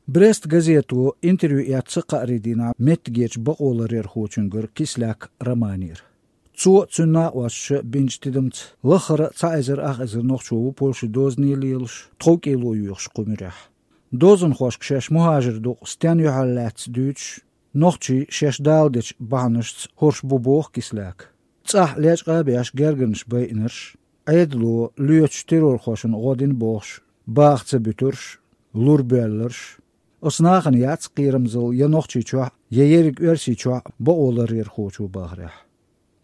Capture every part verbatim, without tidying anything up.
Брест газето интервью эцна кхаарин дийнахь меттигерчу бакъоларъярхочуьнгара Кислак Романера. Цо а, цуьнан накъосташа а бинчу тидамца лаххара а цхьа эзар ах эзар нохчо ву Польшин дозане лелаш, тховкӀело йоьхуш кху муьрехь. Дозанхошка шаьш мухӀажар ду-кх стенна юьхьарлаьцна дуьйцуш, нохчий шаьш даладечу бахьанашца хӀорш бу боху Кислака. ЦӀахь лечкъа а беш гергарнаш байинарш, Ӏедало лоьцучу террорхошна гӀо дина бохуш, баха ца буьтурш, лур боьлларш. Оцу нахана яц кхерамзалла я Нохчийчохь, я ерриг Оьрсийчохь бакъоларъярхочо бахарехь.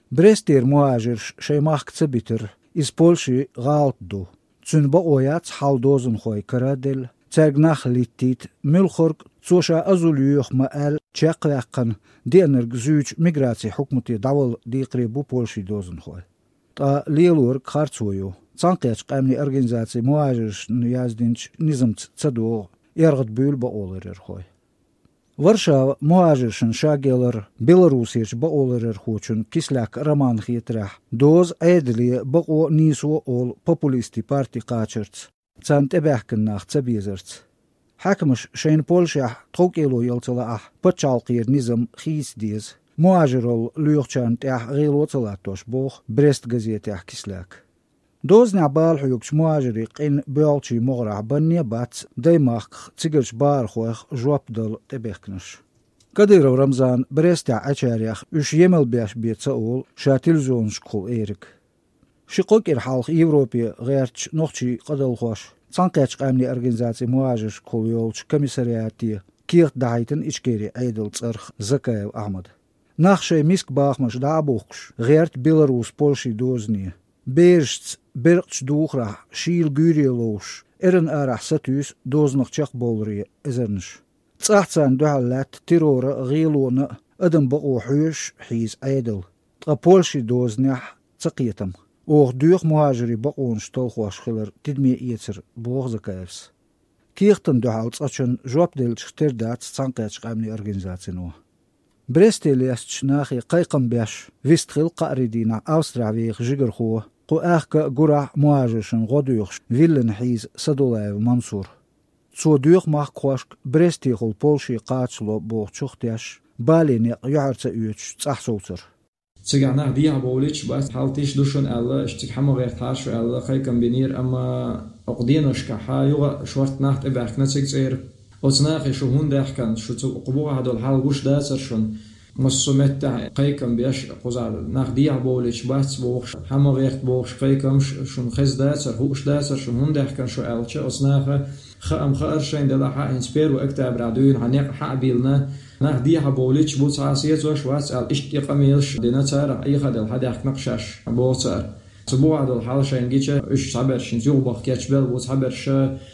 Брестера мухӀажарш шайн махка ца битар, иза Польшин гӀалат ду. Цуьнан бакъо яц хьал дозанхойн кара а делла, цаьрга нах литтийта, муьлххарг цо ша азул йоьху ма-аьлла, чекхваьккхина, деанарг зуьйчу миграцин хьукмате дӀавала декхаре бу Польшин дозанхой. Ткъа лелориг харцо ю. Цхьаьнакхеттачу къаьмнийн организацин мухӀажаршна яздинчу низамца ца догӀу, эргӀадбуьйлу бакъоларъярхой. Варшава мухӀажаршна шаге лар Беларусерчу бакъоларъярхочунна Кислак Романна хетарехь, доза Ӏедале бакъо а, нийсо а олу популистийн парти кхачарца, царна тӀебаьхкина нах ца безарца. Хьаькамаша шайна Польшехь тховкӀело яла ца лаахь, пачхьалкхера низам хийца деза, мухӀажаралла лоьхучарна тӀехь гӀело а ца латтош, боху Брест газетехь Кислака. Дозанехь бала хьоьгучу мухӀажарийн къин боьлхачийн могӀарехь банне а бац даймахках цигарчу бахархойх жоп дала тӀебехкинарш. Кадыров Рамзана Брестехь Ӏачарех уьш емал беш бен ца олу ша телевизионашкахула эриг. Ши-кхо кӀира хьалха Европе гӀертачу нохчийн къадалхоша Цхьаьнакхеттачу къаьмнийн организацин мухӀажаршкахула йолчу комиссариате кехат дахьийтина Ичкерин Ӏедалан цӀарах Закаев Ахьмада. Нах шайн миска бахамаш дӀа а бухкуш, гӀерта Беларус-Польшин дозане. Берашца беркъачу духарехь шийла гуьйре ловзуш, эрна арахь сатуьйсу дозанах чекхбовларе эзарнаш. ЦӀахь царна дуьхьал лаьтта террора а, гӀелона а, адам бакъо хьоьжуш а хьийза Ӏедал, ткъа Польшин дозанехь ца кхетам. Оха доьху мухӀажарийн бакъонаш талхош хилар тидаме эцар, боху Закаевс. Кехатна дуьхьал цкъачунна жоп деллачух тера дац Цхьаьнакхеттачу къаьмнийн организацино. Бресте лестачу нахе кхайкхам беш, вистхилла кхаарин дийнахь Австрехь веха жигархо, кху аьхка а гурахь а мухӀажаршна гӀо доьхуш, виллина хьийза Садулаев Мансур. Цо доьху махкахошка Брестехула Польше кхачало бохучух а теш, бале некъ юьхьар ца оьцуш цӀахь совцар. Цигахь нах дехьа бовлуьйтуш бац, хьал тиша ду шуна аьлла, аша цига хьан ма гӀертахьара шу аьлла, кхайкам бинера, амма окху деношкахь юха а шортта нах тӀебаьхкина цига цӀера. Оцу нахе шу хӀунда даьхкина, шу цу кху бухахь долу хьал гуш дацара шуна? Массо а меттехь кхайкам беш, кхузахь нах дехьа бовлуьйтуш бац бохуш, хьан ма гӀерта бохуш кхайкамаш шуна хезна дацара, хууш дацара шуна, хӀунда даьхкина шу аьлча, оцу наха хаам хаьара шайна делахь а, хӀинца первый октября дуьйна хьан некъ хьа а биллина, нах дехьа бовлуьйтуш бу, цхьа а сецош вац аьлла, иштта и къамелаш дина царах, Ӏехаделла хьан даьхкина-кх шаьш, боху цара. Цу бухахь долу хьал шайна гича, уьш цхьаберш хӀинца юхабаха кечбелла бу, цхьаберш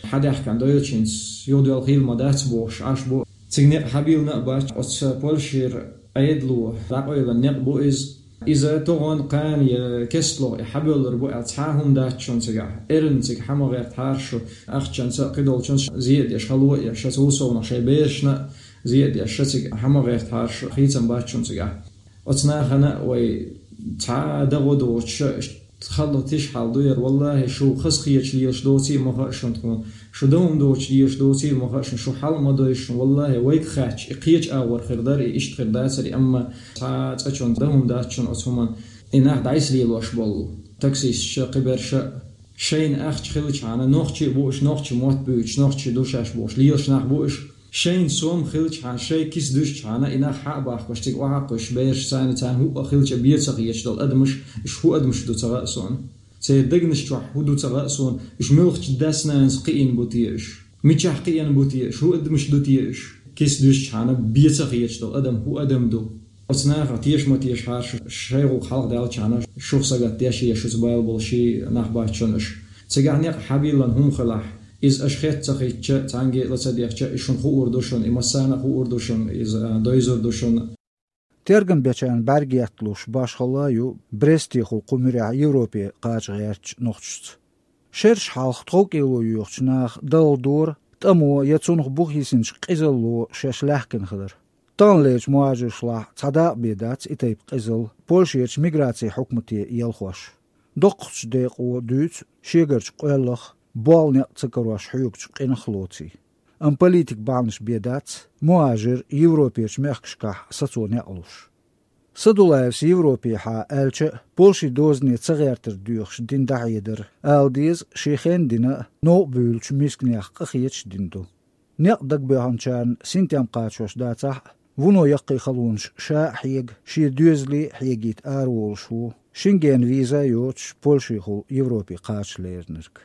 хьан даьхкина дойлучу хӀинца юхадоьлла хилла ма дац бохуш Ӏаш бу. Цига некъ хьан биллина а бац, оцу Польшера Ӏедало дӀакъевлина некъ бу иза. Иза тохана, кхана я кестлогӀа и хьабевллар бу аьлла цхьа а хӀума дац шуна цигахь. Эрна цига хьан ма гӀертахьара шу, ахчанца а, кхидолчунца а зе а деш, хало а еш, цу совнаха шайн берашна а зе а деш, цига хьан ма гӀертахьара шу, хийцам бац шуна цигахь. Оцу нахана а вай цхьа а дагӀо доцуш а, халла тиша хьал ду яра, валлахӀи, шу хазахеташ лелаш доций а ма хаьа шуна тхуна, шу дан хӀума доцуш лелаш доций а ма хаьа шуна, шу хьал а ма дойшу шуна, валлахӀи, вайга хаьттича, и кхечу агӀор хир дара, и иштта хир дацара, амма цхьа а цкъачунна дан хӀума дац шуна оцу хӀуманна. И нах дӀасалелош болу таксисташа, кхиберша а. Шайна ахча хилчхьана, нохчий а бу уьш, нохчийн мотт буьйцуш, нохчий ду шаьш бохуш лелаш нах бу уьш. Шайна сом хилчхьана, шайн киса дуьсчхьана, и нах хьа а бахкош, цига охьа а кхуьссуш, бераш царна, царна хӀуъа хилча бен ца хеташ долу адамаш, уьш хӀун адамаш ду ца хаьа суна. Церан дегнаш чохь хӀун ду ца хаьа суна, уьш муьлхачу дас-нанас кхиийна бу те уьш? Мичахь кхиийна бу те уьш? ХӀун адамаш ду те уьш? Киса дуьсчхьана бен ца хеташ долу адам хӀун адам ду? Оцу нахах теша ма тешахьара шу, шайн гӀуллакх хьалха даьллачхьана, шух сагатдеш я шуьца бала болу ши нах бац шуна уьш. Цигахь некъ хьан биллина хӀума хилахь, иза аша хетта ца хиттича, цхьаьнгге а ла ца дехча, иза шуна хуур ду шуна, и массарна а хуур ду шуна, иза, а, дойзур ду шуна. Тергам бечарна бӀаьрг етталуш башхалла а ю Брестехула кху муьрехь Европе кхача гӀертачу нохчашца. Шераш хьалха тховкӀело йоьхучу наха далла дора, тӀамо я цунах бухахьийсинчу къизалло шаьш лаьхкина хилар. Таханлерчу мухӀажаршлахь цхьа дакъа бен дац и тайпа къизалла Польшерчу миграцин хьукмате елхош. Доккхачу декъо дуьйцу шегарчу къоьллах, болу некъ ца карош хьоьгучу къинах лоций. Амма политик бахьанаш бен дац мухӀажир Европерчу мехкашкахь сацо некъ луш. Садулаевс Европехьа аьлча а, Польшин дозане ца гӀертар доьхуш дина дӀахьедар, ала деза, шен хенна дина а, новкъа буьйлучу мисканех къахеташ дина ду. Некъ дагабоьхначарна синтем кхачош дацахь а, вуно яккхий халонаш ша а хьега, шен доьзале а хьегийта араволуш ву Шенгенан виза а йоцуш Польшехула Европе кхача леринарг.